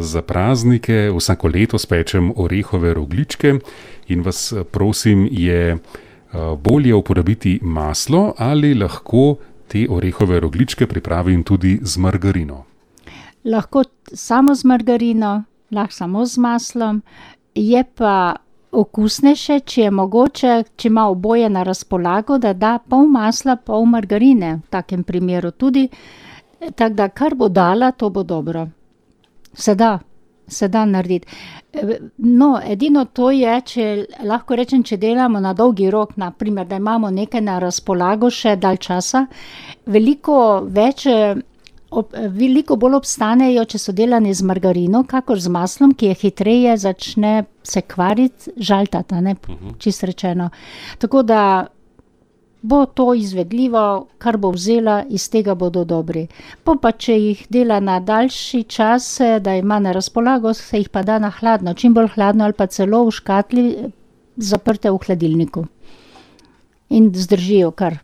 Za praznike vsako leto spečem orehove rogljičke in vas prosim, je bolje uporabiti maslo ali lahko te orehove rogljičke pripravim tudi z margarino? Lahko samo z margarino, lahko samo z maslom, je pa okusnejše, če je mogoče, če ima oboje na razpolago, da da pol masla, pol margarine v takem primeru tudi. Tako da, kar bo dala, to bo dobro. Se da narediti. No, edino to je, če lahko rečem, če delamo na dolgi rok, na primer, da imamo nekaj na razpolago še dalj časa, veliko bolj obstanejo, če so delane z margarino, kakor z maslom, ki je hitreje začne se kvariti, žaltati, a ne, čisto rečeno. Tako da bo to izvedljivo, kar bo vzela, iz tega bodo dobri. Pa če jih dela na daljši čas, da ima na razpolago, se jih pa da na hladno, čim bolj hladno ali pa celo v škatli, zaprte v hladilniku. In zdržijo kar